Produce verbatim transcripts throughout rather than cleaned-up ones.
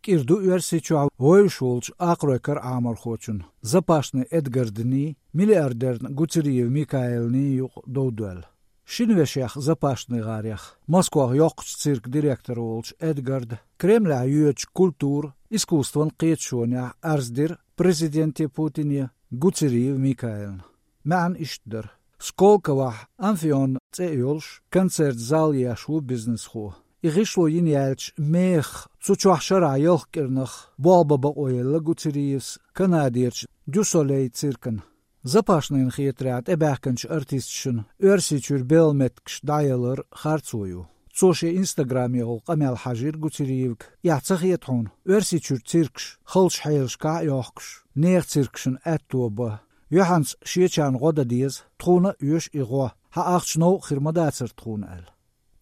кӀира ду Оьрсийчохь вевзаш волчу акхаройн кара Ӏаморхочун Запашный Эдгардний, миллиардерна Гуцериев Микаилний юкъа дов доьлла. Шина вешех, Запашный гӀарех, Москвахь йоккхачу циркан директор волчу Эдгарда Кремлехь йоьдучу культура, искусстван кхеташонехь арз дира президенте Путине Гуцериев Микаилна. МаьӀна иштта дара: Сколковохь Амфион цӀе йолуш концерт-зал еш ву бизнесхо. И гӀишло йина яьлча, мехах цу чохь шарахь ялх кӀирнах болх бан бакъо елла Гуцериевс Канадерчу Дю Солей циркана. Запашныйна хетарехь, тӀебаьхкинчу артисташна Оьрсийчуьра белхан меттигаш дӀаялар харцо ю. Цо шен инстаграмехула къамел хьажийра Гуцериевга: «Эхь ца хета хьуна, Оьрсийчуьра циркаш халчу хьелашкахь а йохкуш, нехан циркашна аьтто бан? Юьхьанца шечарна гӀо дан деза, тхуна а оьшу и гӀо, хьан ахча новкъа хир ма дацара тхуна», — аьлла.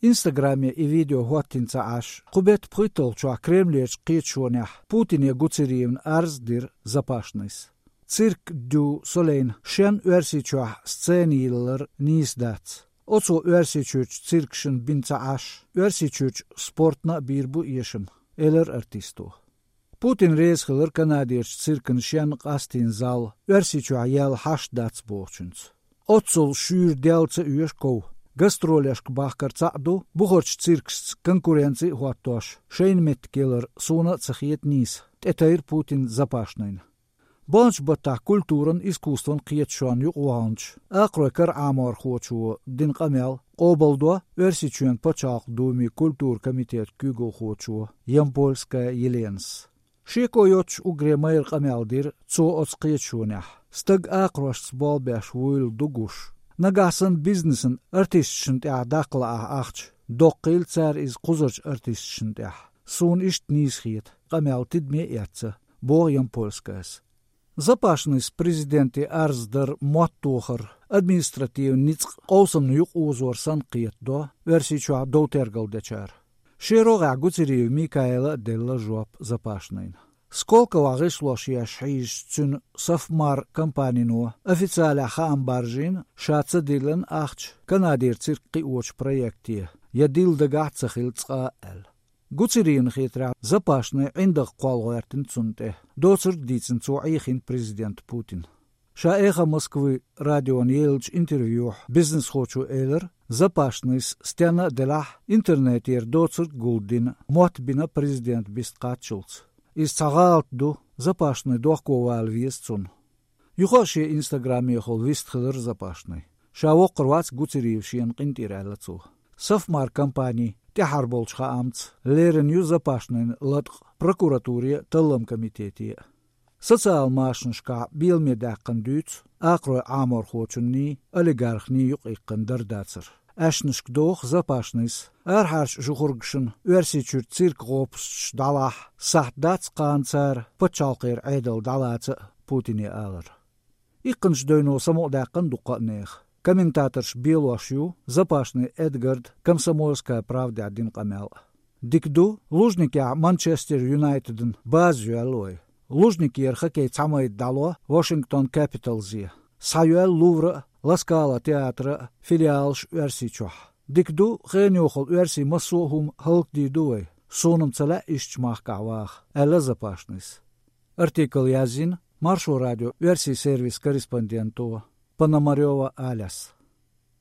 Инстаграме и видео хӀоттийна ца Ӏаш, кху беттан пхийтталгӀачохь Кремлерчу кхеташонехь Путине Гуцериевна арз а дира Запашныйс. Цирк Дю Солейна шен Оьрсийчохь сцена йиллар нийса дац. Оцо Оьрсийчуьрчу циркашна бина ца Ӏаш, Оьрсийчуьрчу спортна а бийр бу эшам, элира артисто. Путин реза хилира Канадерчу циркана шен къастийна зал Оьрсийчохь яьлла хьашт дац бохучуьнца. Оццул шуьйра делла ца оьшу ков. Гастролешка бахкар цхьаъ ду, бухарчу циркашца конкуренци а хӀоттош, шайна меттиг ялар суна а ца хета нийса, тӀетайра Путина Запашныйна. Баханчу баттахь культуран, искусстван кхеташонна юкъаваханчу акхаройн кара Ӏаморхочо дина къамел къобалдо Оьрсийчоьнан Пачхьалкхан Думин культуран комитетан куьйгалхочо Ямпольская Еленас. Шеко йоццуш уггаре майра къамел дира цо оцу кхеташонехь: «Стаг акхарошца болх беш вуйла ду гуш. Нагахь санна бизнесна артисташна тӀехь даккха лаахь ахча, доккхийла цара иза кхузарчу артисташна тӀехь. Суна иштта нийса хета, къамел тидаме а эцна», — боху Ямпольскаяс. Запашныйс президенте арз дар моттахар, административни ницкъ къовсамна юкъаозор санна кхетадо Оьрсийчохь дов-тергал дечара. Шен рогӀехь Гуцериев Микаила а делла жоп Запашныйна. Сколковохь гӀишлош еш хьийзачу цуьнан Софмар компанино официалехь хаам баржийна, ша ца диллина ахча Канадера цирк кхиочу проекте, я дилла дагахь а ца хилла цкъа а аьлла. Гуцериевна хетарехь, Запашный ӀиндагӀ кхолла гӀоьртина цунна тӀе. Доцург а дийцина цо Ӏехийна президента Путина. Ша «Эхо Москвы» радиона еллачу интервьюхь бизнесхочо элира, Запашныйс стенна а делахь, интернетера доцург а гулдина, мотт бина президента биста кхаччалц. Иза цхьа гӀалат ду, Запашный дохковала веза цунна. Юха а шен инстаграмехула вистхилира Запашный. Ша воккхур вац Гуцериев шена къинтӀера, аьлла цо. Софмар компани тӀаьхьара болчу хаамца лерина ю Запашныйн латкъа прокуратуре а, талламан комитете а. Социал машанашкахь беламе даьккхина дуьйцу акхаройн Ӏаморхочунний, олигархний юкъаиккхина дар-дацар. Аьшнашка доху Запашныйс арахьарчу жухургашна Оьрсийчуьра цирк гӀопусташ дӀалахь, сахьт дац кхана цара пачхьалкхера Ӏедал дӀалаца а Путине алар. Иккханчу девно самукъадаьккхина дуккха а нехан. Комментаторш белош ю Запашный Эдгарда «Комсомольская правдехь» дина къамел а. Дика ду, Лужникехь Манчестер Юнайтедна база йоьлла вай. Лужникера хоккей цхьа майда дӀало Вашингтон Капиталзе. Схьайоьлла Лувра а, Ла Скала театра а филиалаш Оьрсийчохь. Дика ду, хенан йохалла оьрсийн массо а хӀума хӀаллакдийр ду вай. Суна-м ца лаьа ишттачу махкахь ваха, аьлла Запашныйс. Артикл язйина Маршо радион оьрсийн сервисан корреспонденто Пономарёва Аляс.